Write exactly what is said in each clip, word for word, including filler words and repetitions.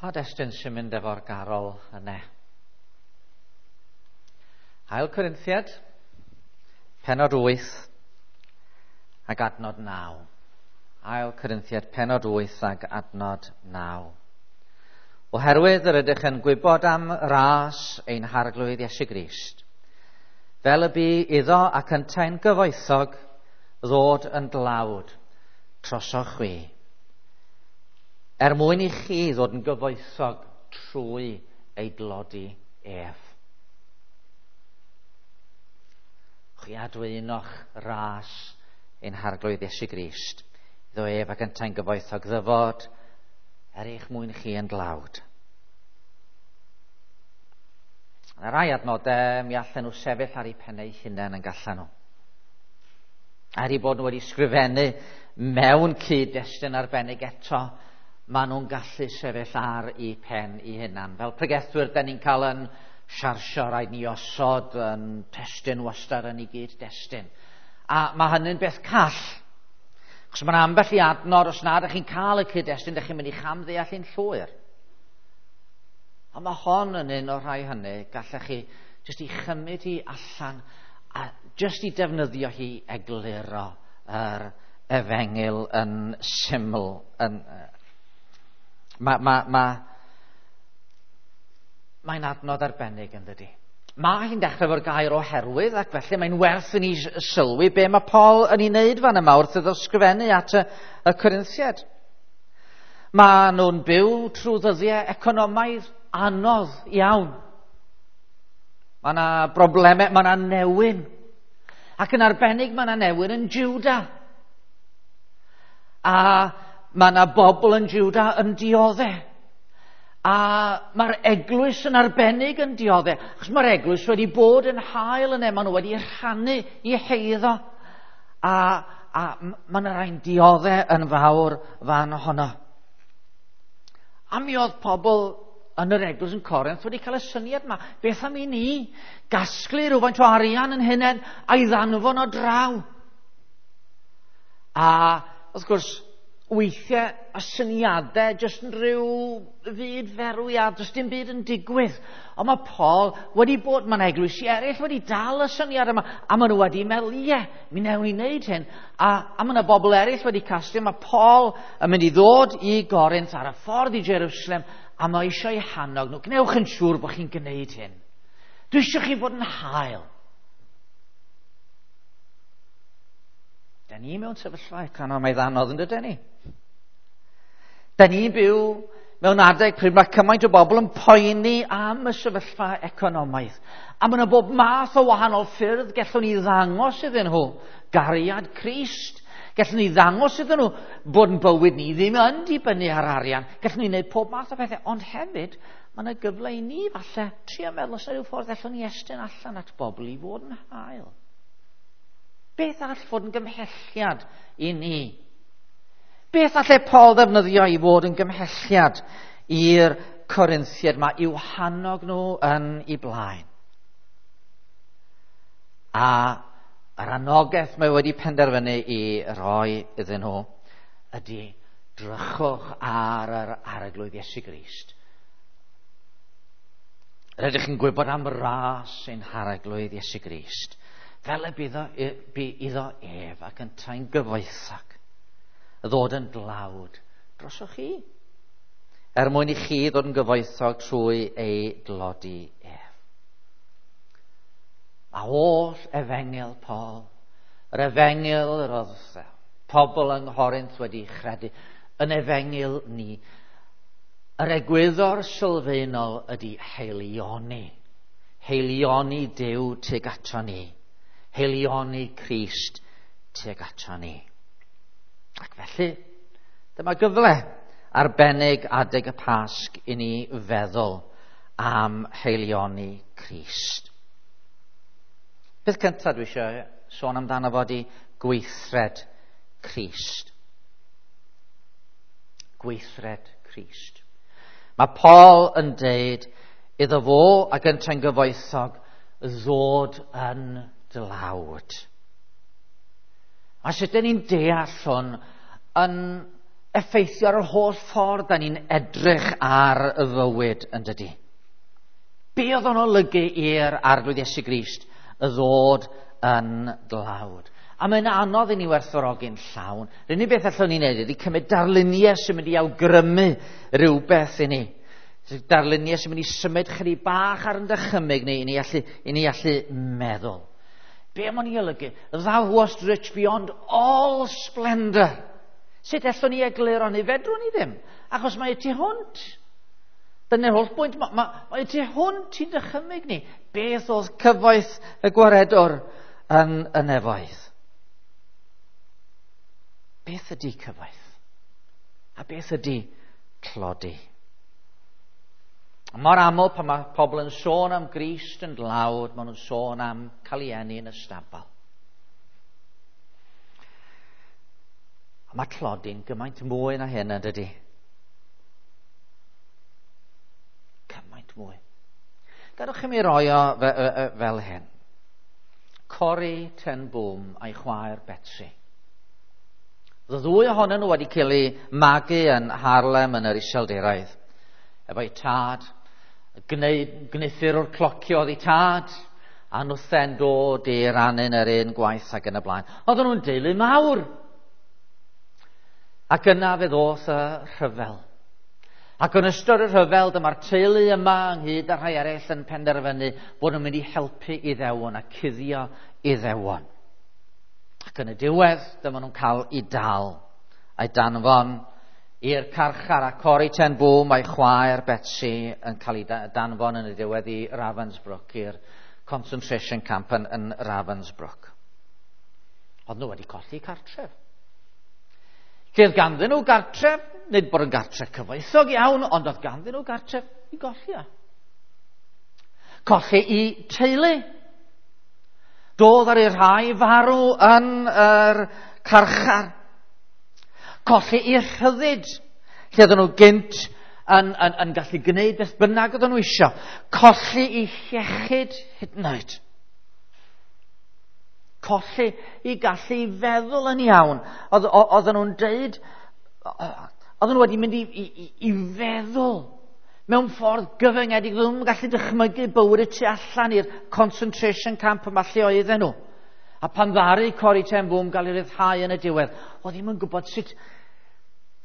Pa destun sy'n mynd efo'r garol yna? Ail Corinthiad, pennod wyth ac adnod naw. Ail Corinthiad, pennod wyth ac adnod naw. Oherwydd yr ydych yn gwybod am ras ein Harglwydd Iesu Grist, fel y bu iddo ac yntau'n gyfoethog ddod yn dlawd trosoch chwi, er mwyn i chi ddod yn gyfoethog trwy ei dlodi ef. Chwi adwynoch ras ein Harglwydd Iesu Grist, iddo ef ac yntau'n gyfoethog ddyfod er eich mwyn chi yn dlawd. Yna rai adnodau, mi allan nhw sefyll ar eu pennau hunain yn gallan nhw. Er eu bod nhw wedi sgrifennu mewn cyd-destun arbennig eto, maen nhw'n gallu sefyll ar eu pen eu hunan. Fel pregethwyr, da ni'n cael yn siarsio, rhaid ni osod yn testun wastad yn ei gyd-destun. A mae hynny'n beth call. Achos mae'n ambell i adnod, os na ydych chi'n cael y cyd-destun, ydych chi'n mynd i chamddeall yn llwyr. A mae hon yn un o'r rhai hynny, gallech chi jyst i chymryd hi allan a jyst i defnyddio hi egluro yr efengyl yn syml. Yn, Mae, ma, ma, mae'n adnod arbennig yn dydi. Mae hi'n dechrau efo'r gair oherwydd, ac felly mae'n werth i ni sylwi be mae Paul yn ei wneud fan yma wrth iddo sgrifennu at y, y Corinthiaid. Mae nhw'n byw trwy ddyddiau economaidd anodd iawn. Mae yna broblemau, mae yna newyn. Ac yn arbennig mae yna newyn yn Juda. A mae yna bobl yn Juda yn dioddef. A mae'r eglwys yn arbennig yn dioddef. Achos mae'r eglwys wedi bod yn hael yna, maen nhw wedi rhannu i heiddo. A, a mae yna rhai'n dioddef yn fawr fan honno. A mi oedd pobl yn yr eglwys yn Corinth wedi cael y syniad yma. Beth am i ni gasglu rhywfaint o arian yn hunain a'i ddanfon o draw? A wrth gwrs, weithiau y syniadau jyst yn rhyw fyd ferw a does dim byd yn digwydd. Ond mae Paul wedi bod, mae'n eglwysi eraill wedi dal y syniad yma, a maen nhw wedi meddwl, ie, mi wnewn ni wneud hyn. A, a mae yna bobl eraill wedi casglu, mae Paul yn mynd i ddod i Gorinth ar y ffordd i Jerusalem, a mae eisiau eu hannog nhw. Gwnewch yn siŵr bod chi'n gwneud hyn. Dwi eisiau chi fod yn hael. Da ni mewn sefyllfa economaidd anodd yn dydyn ni. Da ni'n byw mewn adeg pryd mae cymaint o bobl yn poeni am y sefyllfa economaidd. A mae yna bob math o wahanol ffyrdd gallwn ni ddangos iddyn nhw gariad Crist. Gallwn ni ddangos iddyn nhw bod yn bywyd ni ddim yn dibynnu ar arian. Gallwn ni wneud pob math o bethau, ond hefyd mae yna gyfle i ni falle trio meddwl os yna rhyw ffordd allwn ni estyn allan at bobl i fod yn hael. Beth all fod yn gymhelliad i ni? Beth allai Paul ddefnyddio i fod yn gymhelliad i'r Corinthiaid yma i'w hannog nhw yn ei blaen? A yr anogaeth mae wedi penderfynu i roi iddyn nhw ydy drychwch ar yr Arglwydd Iesu Grist. Rydych chi'n gwybod am ras ein Harglwydd Iesu Grist, fel y byddo, bu iddo ef ac yntau'n gyfoethog, ddod yn dlawd drosoch chi, er mwyn i chi ddod yn gyfoethog trwy ei dlodi ef. Mae holl efengyl Paul, yr efengyl yr oedd pobl yng Nghorinth wedi chredu, yn efengyl ni, yr egwyddor sylfaenol ydy heilioni, heilioni Duw tuag ato ni, heilioni Crist tuag ato ni. Ac felly, dyma gyfle arbennig adeg y Pasg i ni feddwl am heilioni Crist. Beth cyntaf dwi eisiau sôn amdano fo ydi gweithred Crist. Gweithred Crist. Mae Paul yn deud iddo fo ac yntau'n gyfoethog ddod yn dlawd. A sut dyn ni'n deall hwn yn effeithio ar yr holl ffordd da ni'n edrych ar y fywyd yn dydy. Be oedd o'n olygu i'r Arglwydd Iesu Grist y ddod yn dlawd? A mae'n anodd i ni werthfawrogi'n llawn. Yr unig beth allwn ni wneud ydy cymryd darluniau sy'n mynd i awgrymu rhywbeth i ni. Darluniau sy'n mynd i symud chydig bach ar yn dychymyg ni, i ni allu, i ni allu meddwl. Be mae'n ei olygu? Thou wast rich beyond all splendour. Sut allwn ni egluro ni? Fedrwn ni ddim. Achos mae tu hwnt. Dyna'r holl bwynt. Mae, mae, mae tu hwnt i'n dychymyg ni. Beth oedd cyfoeth y gwaredwr yn y nefoedd? Beth ydy cyfoeth? A beth ydy tlodi? Mor aml pan mae pobl yn sôn am Grist yn dlawd, maen nhw'n sôn am cael ei eni yn y stabal. A mae tlodi'n gymaint mwy na hyn, yn dydy? Cymaint mwy. Gadewch i mi roi o fe, fe, fel hyn. Corrie ten Boom a'i chwaer Betsie. Y ddwy ohonyn nhw wedi cael eu magu yn Haarlem yn yr Iseldiroedd. Efo'i tad, gwneuthur o'r clocio oedd ei tad, a nhwthen dod i rannu'n yr un gwaith ac yn y blaen. Oedden nhw'n deulu mawr. Ac yna fe ddoth y rhyfel. Ac yn ystod y rhyfel, dyma'r teulu yma ynghyd â rhai eraill yn penderfynu bod nhw'n mynd i helpu Iddewon a cuddio Iddewon. Ac yn y diwedd, dyma nhw'n cael eu dal a'i danfon i'r carchar, a Corrie ten Boom a'i chwaer Betsie yn cael ei danfon yn y diwedd i Ravensbrück, i'r concentration camp yn, yn Ravensbrück. Oedd nhw wedi colli cartref. Lle oedd ganddyn nhw gartref, nid bod yn gartref cyfoethog iawn, ond oedd ganddyn nhw gartref i golli o. Colli i teulu. Doedd ar ei rhai farw yn yr carchar. Colli i rhyddid, lle oedden nhw gynt yn, yn, yn gallu gwneud beth bynnag oedden nhw isio. Colli i iechyd hyd yn oed. Colli i gallu feddwl yn iawn. Oedd, oedden nhw'n deud, oedden nhw wedi mynd i, i, i feddwl mewn ffordd gyfyngedig. Oedden nhw'n gallu dychmygu bywyd y tu allan i'r concentration camp yma lle oedden nhw. A pan ddaru Corrie ten Boom gael ei ryddhau yn y diwedd, oedd ddim yn gwybod sut,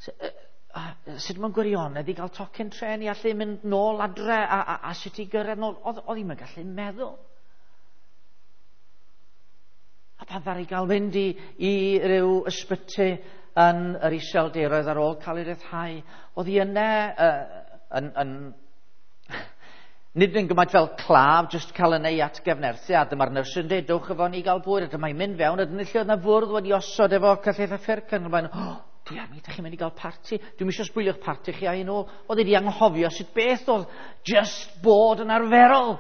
sut mewn gwirionedd i gael tocyn tren i allu mynd nôl adre a, a, a sut i gyrraedd nôl. Oedd, oedd ddim yn gallu meddwl. A pan ddaru gael fynd i, i ryw ysbyty yn yr Iseldiroedd ar ôl cael ei ryddhau, oedd hi yna uh, yn, yn nid yn gymaint fel claf, jyst cael yn ei atgyfnerthu, a dyma'r nyrs yn dweud, dewch efo ni gael bwyd, a dyma'n mynd fewn, a dyna lle oedd yna fwrdd wedi osod efo cyllell a ffyrc, yn rhywbeth, oh, dwi am i, ydych chi'n mynd i gael parti, dwi'n eisiau sbwylio'ch parti chi a'i nôl. Oedd wedi anghofio sut beth oedd just bod yn arferol.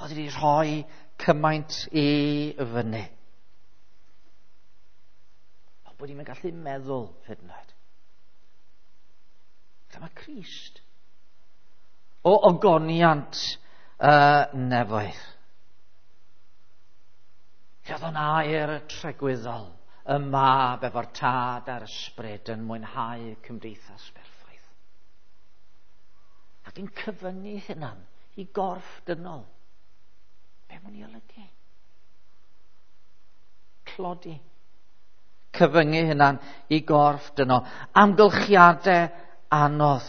Oedd wedi rhoi cymaint i fyny. Ond bod hi'n gallu meddwl hyd yn oed. Dyma Crist. O ogoniant uh, nefoedd. Lle oedd o'n air tregwyddol, y mab efo'r tad a'r ysbryd yn mwynhau cymdeithas berffaith. Ac yn cyfyngu hunan i gorff dynol. Be mwyn i olygu? Tlodi. Cyfyngu hunan i gorff dynol. Amgylchiadau anodd.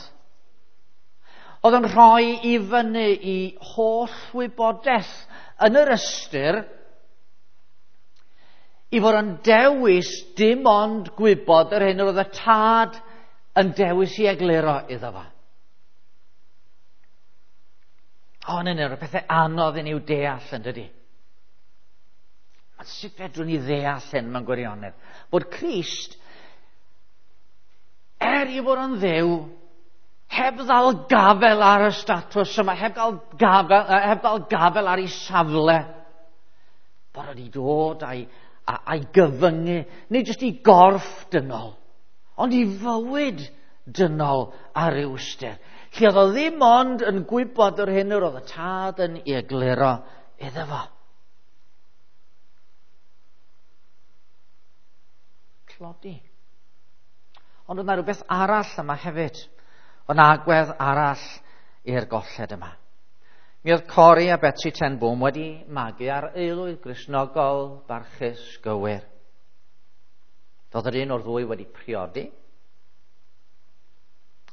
Oedd yn rhoi i fyny i holl wybodaeth yn yr ystyr i fod yn dewis dim ond gwybod yr hyn oedd y tad yn dewis i egluro iddo fo. O, yn un o'r pethau anodd i ni'w deall yn dydy. Ond sut fedrwn ni ddeall hyn mewn gwirionedd? Bod Crist, er i fod yn Dduw, heb ddal gafel ar y statws yma, heb gael gafel, heb ddal gafel ar ei safle, bod wedi dod a'i, a'i gyfyngu, nid jyst i gorff dynol, ond i fywyd dynol ar ryw ystyr. Lle oedd o ddim ond yn gwybod yr hyn yr oedd y tad yn ei egluro iddo fo. tlodi. Ond oedd yna rhywbeth arall yma hefyd. Oedd yna agwedd arall i'r golled yma. Mi oedd Corrie a Betsie ten Boom wedi magu ar aelwyd Gristnogol barchus gywir. Doedd yr un o'r ddwy wedi priodi.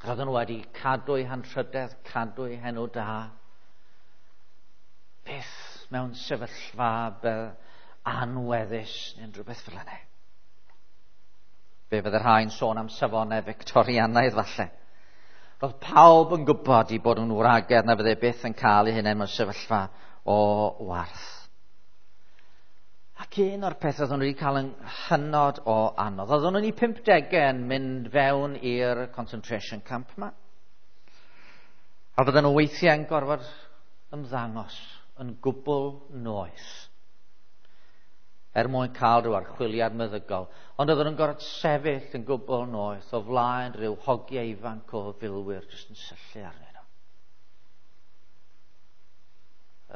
Roedden nhw wedi cadw eu hanrhydedd, cadw eu henw da. Byth mewn sefyllfa anweddus neu rhywbeth fel yna. Fe fydde rhai'n sôn am safonau Victorianaidd falle. Roedd pawb yn gwybod i bod yn wragedd na fydde byth yn cael eu hunain mewn sefyllfa o warth. Ac un o'r pethau oedden nhw wedi cael yn hynod o anodd. Oedden nhw'n eu pump degau yn mynd fewn i'r concentration camp yma. A fydden nhw weithiau yn gorfod ymddangos yn gwbl noeth er mwyn cael rhyw archwiliad meddygol. Ond oedden nhw'n gorfod sefyll yn gwbl noeth o flaen rhyw hogiau ifanc o filwyr jyst yn syllu arnyn nhw.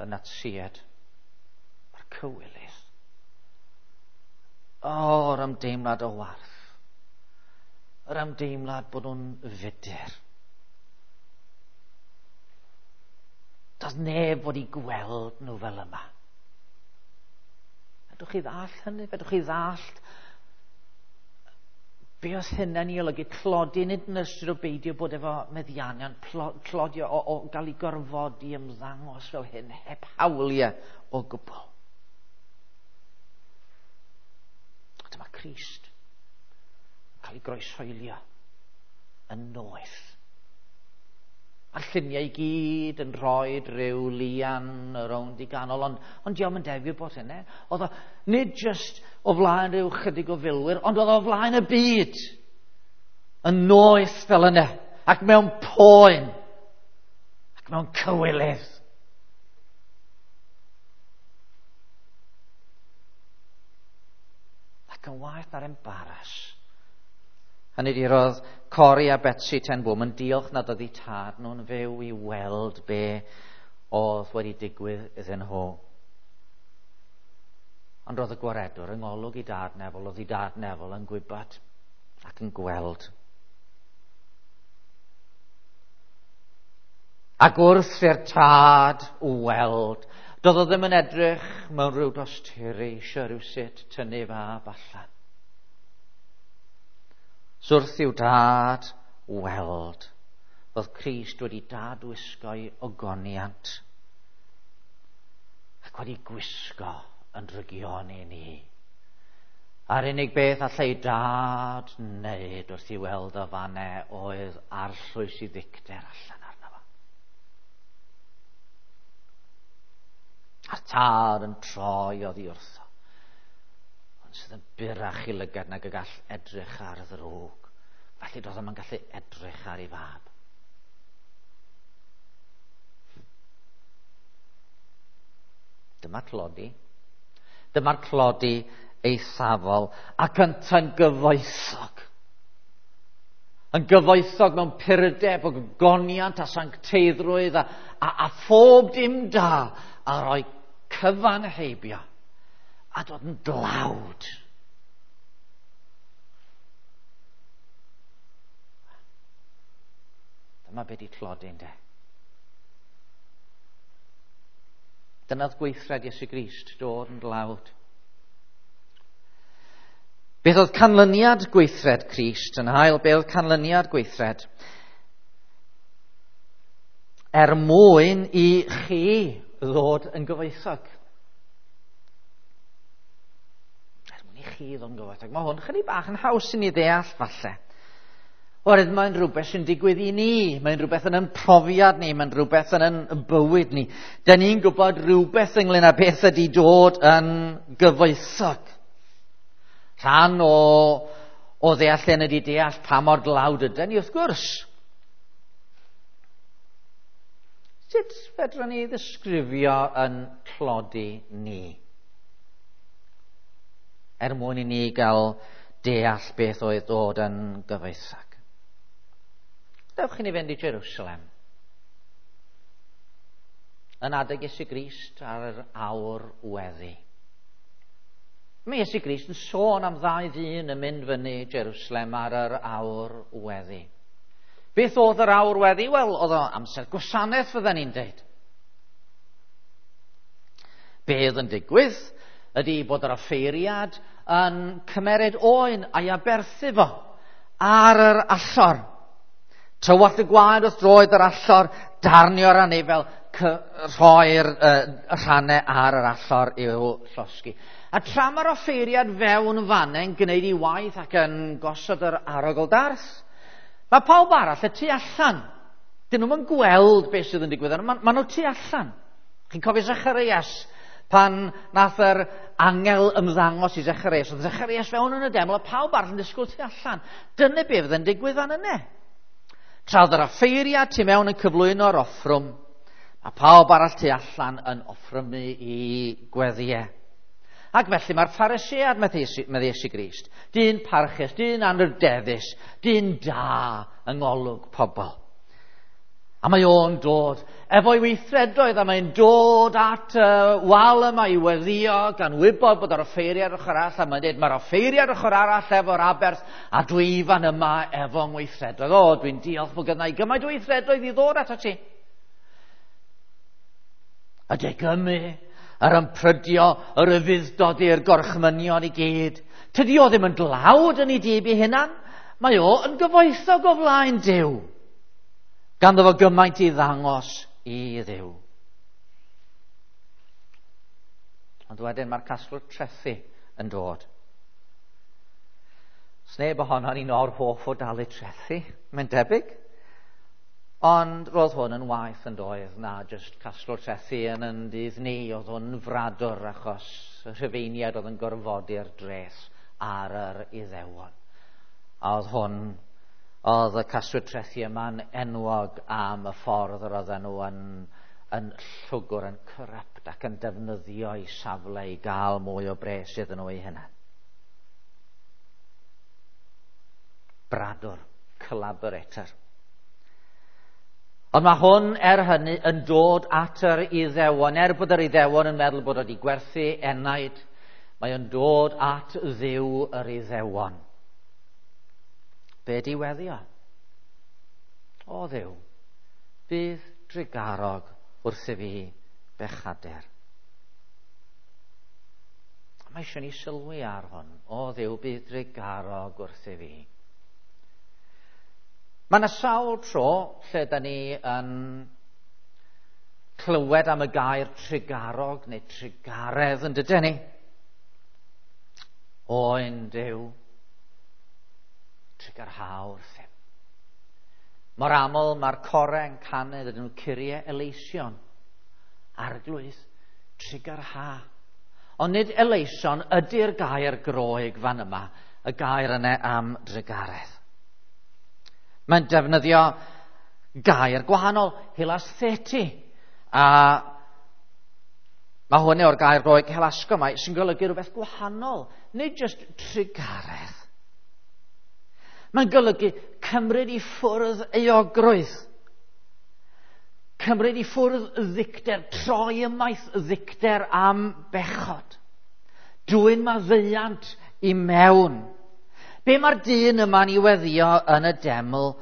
Y Natsied. Mae'r cywilydd. O, yr ymdeimlad o warth. Yr ymdeimlad bod nhw'n fudur. Doedd neb fod i gweld nhw fel yma. Fedrwch chi ddallt hynny? Fedrwch chi ddallt be oedd hynny'n ei olygu? Tlodi, nid yn ystyr o beidio bod efo meddiannion, tlodi o, o gael ei gorfodi ymddangos fel hyn, heb hawliau o gwbl. Dyma Crist yn cael ei groeshoelio yn noeth. A'r lluniau i gyd yn rhoi rhyw lian rownd i ganol, ond, ond diolch yn debyg bod hynny. Oedd o nid just o flaen rhyw chydig o filwyr, ond oedd o flaen y byd. Yn noeth fel yna, ac mewn poen, ac mewn cywilydd. Ac yn waeth na'r embaras. Hynny ydi, roedd Corrie a Betsie ten Boom yn diolch nad oedd eu tad nhw'n fyw i weld be oedd wedi digwydd iddyn nhw. Ond roedd y gwaredwr yng ngolwg i dad nefol, oedd i dad nefol yn gwybod ac yn gweld. Ac wrth i'r tad weld, doedd o ddim yn edrych mewn rhyw dosturi eisiau rhywsut tynnu fab allan. So wrth i'w dad weld, roedd Crist wedi dadwisgo'i ogoniant ac wedi gwisgo yn drygioni ni. A'r unig beth allai dad wneud wrth i weld o fanne oedd arllwys i ddicter allan arno fo. A'r tad yn troi oddi wrtho, ond sydd yn burach i lygad nag y gall edrych ar ddrwg. Felly doedd o'm yn gallu edrych ar ei fab. Dyma tlodi. Dyma'r tlodi eithafol ac yntau'n gyfoethog. Yn gyfoethog mewn purdeb o gogoniant a sancteiddrwydd a, a, a phob dim da a rhoi cyfan heibio a dod yn dlawd. Dyma be di tlodi, ynde. Dyna'r gweithred Iesu Grist, dod yn dlawd. Beth oedd canlyniad gweithred Crist yn hael? Beth oedd canlyniad gweithred? Er mwyn i chi ddod yn gyfoethog. Er mwyn i chi ddod yn gyfoethog. Mae hwn chydig bach yn haws i ni ddeall falle. Oherwydd mae'n rhywbeth sy'n digwydd i ni. Mae'n rhywbeth yn ein profiad ni. Mae'n rhywbeth yn ein bywyd ni. Da ni'n gwybod rhywbeth ynglyn â beth ydy dod yn gyfoethog. Rhan o, o ddeall hyn ydy deall pa mor dlawd ydyn ni, wrth gwrs. Sut fedrwn ni ddisgrifio yn tlodi ni? Er mwyn i ni gael deall beth oedd dod yn gyfoethog. Dewch i ni fynd i Jerusalem. Yn adeg Iesu Grist ar yr awr weddi. Mae Iesu Grist yn sôn am ddau ddyn yn mynd fyny Jerusalem ar yr awr weddi. Beth oedd yr awr weddi? Wel, oedd o amser gwasanaeth, fydden ni'n deud. Be oedd yn digwydd ydy bod yr offeiriad yn cymeryd oen a'i aberthu fo ar yr allor. Tywallt y gwaed wrth droed yr allor, darnio'r anifel, rhoi'r uh, rhannau ar yr allor i'w llosgi. A tra mae'r offeiriad fewn fanne'n gwneud ei waith ac yn gosod yr arogl darth, mae pawb arall y tu allan. Dyn nhw'n gweld beth sydd yn digwydd, ma, ma nhw tu allan. Chi'n cofio Zacharias, pan nath yr angel ymddangos i Zacharias, oedd Zacharias fewn yn y deml a pawb arall yn disgwyl tu allan. Dyna beth fydd yn digwydd fan yna. Tra oedd yr offeiriad tu mewn yn cyflwyno'r offrwm, a pawb arall tu allan yn offrymu i gweddiau. Ac felly mae'r Pharisead, medde Iesu Grist, dyn parchus, dyn anrhydeddus, dyn da yng ngolwg pobl. A mae o'n dod efo'i weithredoedd, a mae'n dod at y wal yma i weddio, gan wybod bod yr offeiriad ochr arall, a mae'n dweud, mae'r offeiriad ochr arall efo'r aberth, a dwi fan yma efo ngweithredoedd. O, dwi'n diolch bod gynna i gymaint o weithredoedd i ddod atat ti. Y degymu, yr ymprydio, yr ufudd-dod i'r gorchmynion i gyd. Tydi o ddim yn dlawd yn ei dyb ei hunan, mae o yn gyfoethog o flaen Duw. Ganddo fo gymaint i ddangos i Dduw. Ond wedyn mae'r casglwr trethi yn dod. Sneb ohono ni'n or hoff o dalu trethi, mae'n debyg. Ond roedd hwn yn waeth yn doedd na jyst casglwr trethi yn yn dydd ni. Oedd hwn yn fradwr achos y Rhufeiniaid oedd yn gorfodi'r dreth ar yr Iddewon. A oedd hwn, oedd y casglwyr trethi yma'n enwog am y ffordd yr oedden nhw yn, yn llwgwr, yn corrupt ac yn defnyddio eu safle i gael mwy o bres iddyn nhw eu hunain. Bradwr, collaborator. Ond mae hwn, er hynny, yn dod at yr Iddewon. Er bod yr Iddewon yn meddwl bod wedi gwerthu enaid, mae o'n dod at Dduw yr Iddewon. Be di weddio? O Dduw, bydd drugarog wrth i fi bechadur. Mae eisiau ni sylwi ar hwn. O Dduw, bydd drugarog wrth i fi. Mae yna sawl tro lle da ni yn clywed am y gair trugarog neu trugaredd yn dydyn ni. Oen Duw, trugarha wrthym. Mor aml mae'r corau yn canu, dydyn nhw Kyrie eleison, arglwydd, trugarha. Ond nid eleison ydy'r gair Groeg fan yma, y gair yna am drugaredd. Mae'n defnyddio gair gwahanol, hilastheti. A mae hwn o'r gair Groeg hilasgomai sy'n golygu rhywbeth gwahanol, nid jyst trugaredd. Mae'n golygu cymryd i ffwrdd euogrwydd, cymryd i ffwrdd ddicter, troi ymaith ddicter am bechod, dwyn maddeuant i mewn. Be mae'r dyn yma'n ei weddio yn y deml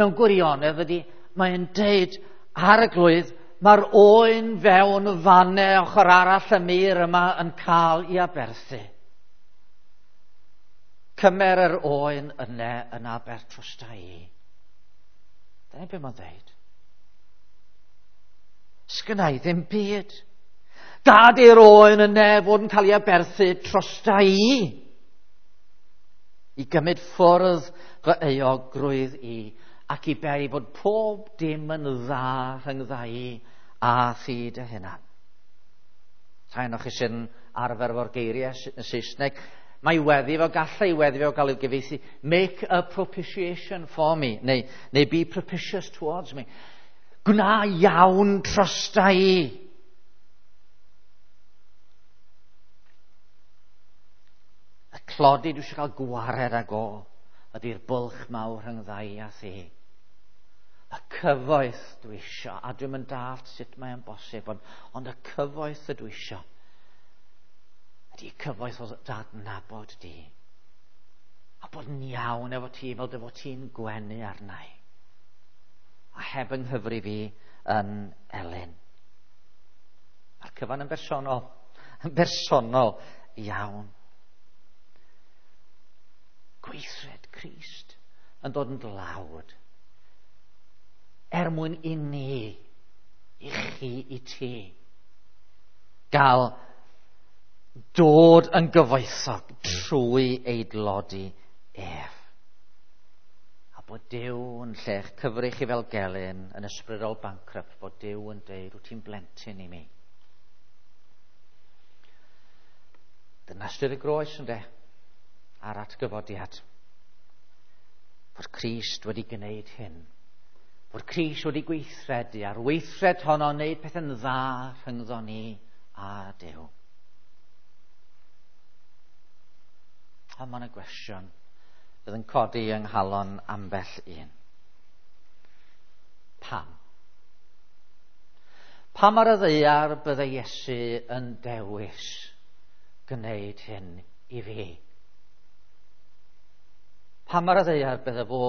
mewn gwirionedd ydy, mae'n deud ar y glwydd, mae'r oen fewn fanne ochr arall y mur yma yn cael ei aberthu. Cymer yr oen yna yn aber trosta i. Dyna be mae'n dweud. Sgynna i ddim byd. Gad i'r oen yna fod yn cael ei aberthu trosta i. I gymryd ffwrdd fy euogrwydd i ac i beri fod pob dim yn dda rhyngdda i a thi dy hunan. Rhai ohonoch chi sy'n arfer efo'r geiriau yn Saesneg, mae weddi fo, gallai weddi fo gael ei gyfieithu, make a propitiation for me, neu, neu be propitious towards me. Gwna iawn trosta i. Y clodi dwi eisiau cael gwared ag o ydy'r bwlch mawr rhyngdda i a thi. Y cyfoeth dwi eisiau, a dwi'm yn dallt sut mae'n bosib, ond, ond y cyfoeth ydw eisiau Ydy cyfoeth o dadnabod di. A bod yn iawn efo ti fel dy fod ti'n gwenu arna i. A heb yng nghyfri fi yn elyn. Mae'r cyfan yn bersonol. Yn bersonol iawn. Gweithred Crist yn dod yn dlawd. Er mwyn i ni, i chi, i ti, gael dod yn gyfoethog trwy ei dlodi ef. A bod Duw yn lle'ch cyfri chi fel gelyn yn ysbrydol bankrupt, bod Duw yn deud, wyt ti'n blentyn i mi. Dyna ystyr y groes, ynde, a'r atgyfodiad. Fod Crist wedi gwneud hyn. Fod Crist wedi gweithredu, a'r weithred honno wneud pethau'n dda rhyngddo ni a Duw. A mae yna gwestiwn fydd yn codi yng nghalon ambell un. Pam? Pam ar y ddaear bydde Iesu yn dewis gwneud hyn i fi? Pam ar y ddaear bydde fo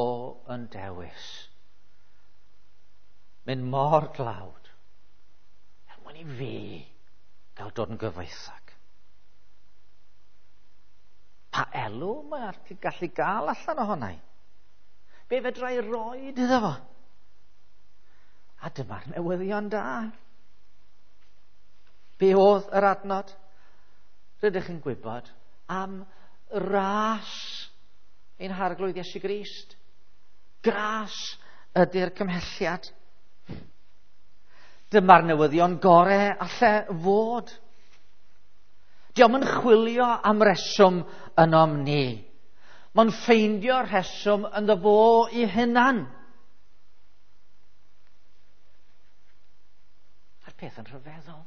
yn dewis mynd mor dlawd er mwyn i fi gael dod yn gyfoethog? Pa elw mae'n gallu gael allan ohona i? Be fedra i roed iddo fo? A dyma'r newyddion da. Be oedd yr adnod? Rydych yn gwybod am ras ein Harglwydd Iesu Grist. Gras ydy'r cymhelliad. Dyma'r newyddion gore alle fod. Dio'm yn chwilio am reswm ynom ni. Mae'n ffeindio rheswm ynddo fo i hunan. A'r peth yn rhyfeddol.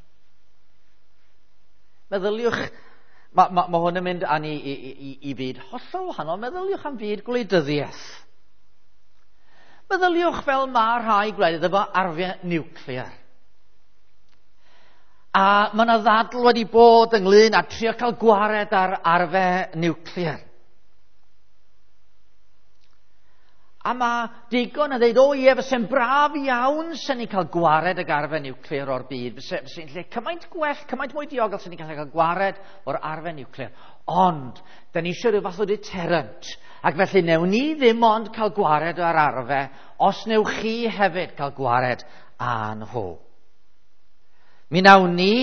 Meddyliwch, mae ma, ma hwn yn mynd â ni i, i, i, i fyd hollol wahanol. Meddyliwch am fyd gwleidyddiaeth. Meddyliwch fel mae rhai gwledydd efo arfau niwclear. A mae yna ddadl wedi bod ynglyn â trio cael gwared ar arfau niwclear. A mae digon yn dweud, o ie, fyse'n braf iawn sy'n ni'n cael gwared ag arfau niwclear o'r byd. Fyse, fyse'n lle cymaint gwell, cymaint mwy diogel sy'n ni'n cael cael gwared o'r arfau niwclear. Ond, da ni eisiau rhyw fath o deterrent. Ac felly, newn ni ddim ond cael gwared o'r arfau, os newch chi hefyd cael gwared â nhw. Mi nawn ni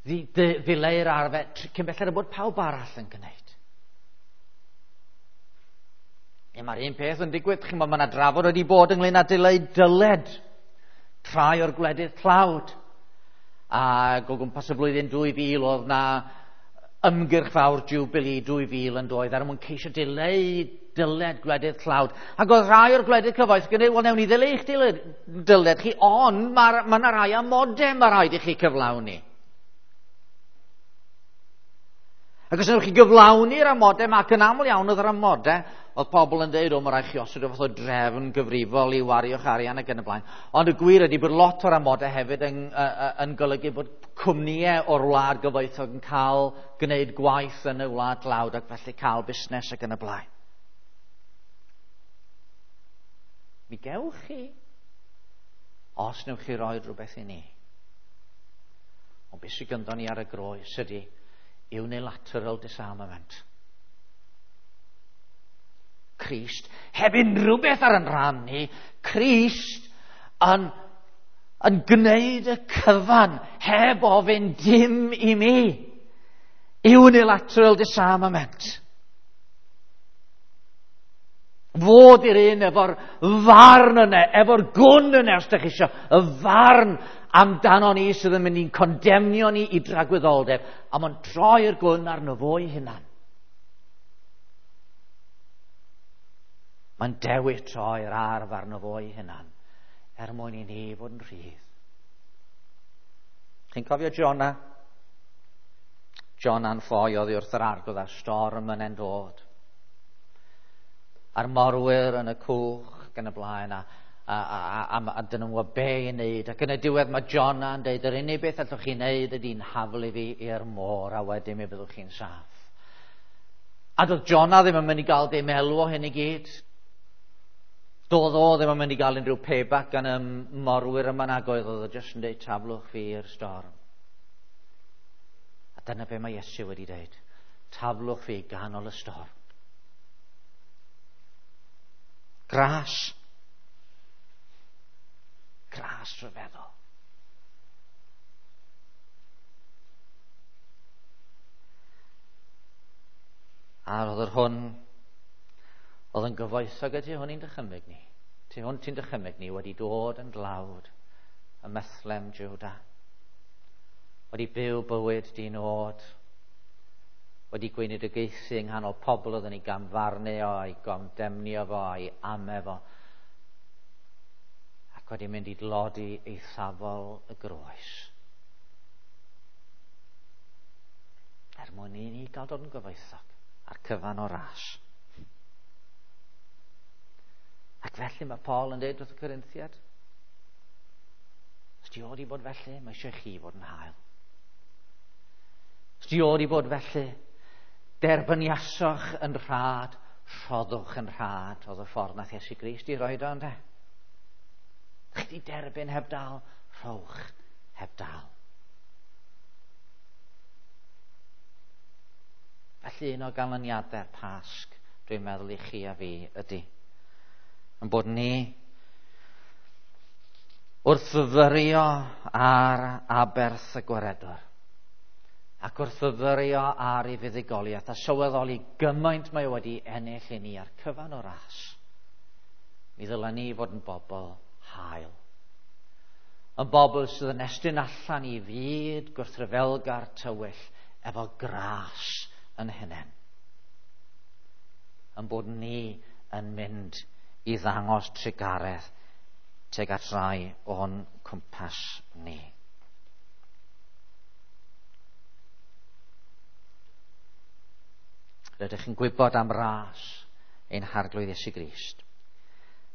ddileu'r arfau cyn belled bod pawb arall yn gwneud. E, mae'r un peth yn digwydd, chi'n gwybod, mae yna drafod wedi bod ynglyn â dileu dyled rhai o'r gwledydd tlawd. Ac o gwmpas y flwyddyn dwy fil oedd na ymgyrch fawr Jubilee dwy fil yn doedd er mwyn ceisio dileu dyled gwledydd tlawd. Ac oedd rhai o'r gwledydd cyfoethog yn dweud, wel, newn ni ddileu eich dyled, dyled chi, ond mae ma yna rai amodau mae rhaid i chi cyflawni. Ac os wnewch chi gyflawni'r amodau, ac yn aml iawn oedd yr amodau, oedd pobl yn dweud, o, mae rhaid chi osod o fath o drefn gyfrifol i wario'ch arian ac yn y blaen. Ond y gwir ydy bod lot o'r amodau hefyd yn, uh, yn golygu bod cwmnïau o'r wlad gyfoethog yn cael gwneud gwaith yn y wlad dlawd ac felly cael busnes ac yn y blaen. Mi gewch chi, os newch chi roi rhywbeth i ni. Ond beth sydd gynddon ni ar y groes ydy unilateral disarmament. Crist, heb unrhyw beth ar yn rhan ni, Crist yn, yn gwneud y cyfan heb ofyn dim i mi. Unilateral disarmament. Fod i'r un efo'r farn yna, efo'r gwn yna, os ydych chi eisiau, y farn amdano ni sydd yn mynd i'n condemnio ni i dragwyddoldeb, a mae'n troi'r gwn arno fo'i hunan. Mae'n dewis troi'r arf arno fo'i hunan, er mwyn i ni fod yn rhydd. Chi'n cofio Jonah? Jonah'n ffoi oddi wrth yr arglwydd a'r storm yn dod. A'r morwyr yn y cwch ac yn y blaen, a, a, a, a, a dyn nhw'n gwybod be i wneud. Ac yn y diwedd mae Jonah yn dweud, yr unig beth allwch chi wneud ydy'n haflu fi i'r môr, a wedyn mi fyddwch chi'n saff. A doedd Jonah ddim yn mynd i gael dim elw o hyn i gyd. Doedd o ddim yn mynd i gael unrhyw payback gan y morwyr yma nag oedd, oedd o jyst yn dweud taflwch fi i'r storm. A dyna be mae Iesu wedi dweud, taflwch fi ganol y storm. Gras. Gras rhyfeddol. A roedd yr hwn oedd yn gyfoethog y tu hwn i'n dychymyg ni. Tu hwn ti'n dychymyg ni wedi dod yn dlawd ym Methlem, Jwda. Wedi byw bywyd di-nod. Wedi gweinidogaethu yng nghanol pobl oedd yn ei gamfarnu o, a'i gondemnio fo, a'i ame fo. Ac wedi mynd i dlodi eithafol y groes. Er mwyn i ni gael dod yn gyfoethog a'r cyfan o ras. Ac felly mae Paul yn dweud wrth y Corinthiad, os di o di bod felly, mae eisiau chi fod yn hael. Os di o di bod felly, derbyniasoch yn rhad, rhoddwch yn rhad, oedd y ffordd nath Iesu Grist i roed o, ynde? Chi di derbyn heb dal, rhowch heb dal. Felly un o ganlyniadau'r Pasg, dwi'n meddwl i chi a fi ydy, yn bod ni wrth fyfyrio ar aberth y Gwaredwr, ac wrth fyfyrio ar ei fuddugoliaeth, a sylweddoli gymaint mae wedi ennill i ni a'r cyfan o ras, mi ddylen ni fod yn bobl hael. Yn bobl sydd yn estyn allan i fyd gwrthryfelgar tywyll efo gras yn hunain. Yn bod ni yn mynd i ddangos trugaredd tuag at rai o'n cwmpas ni. Rydych chi'n gwybod am ras ein Harglwydd Iesu Grist,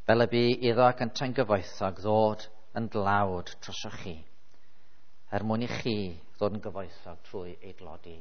fel y bu iddo ac yntau'n gyfoethog ddod yn dlawd drosoch chi, er mwyn i chi ddod yn gyfoethog trwy ei dlodi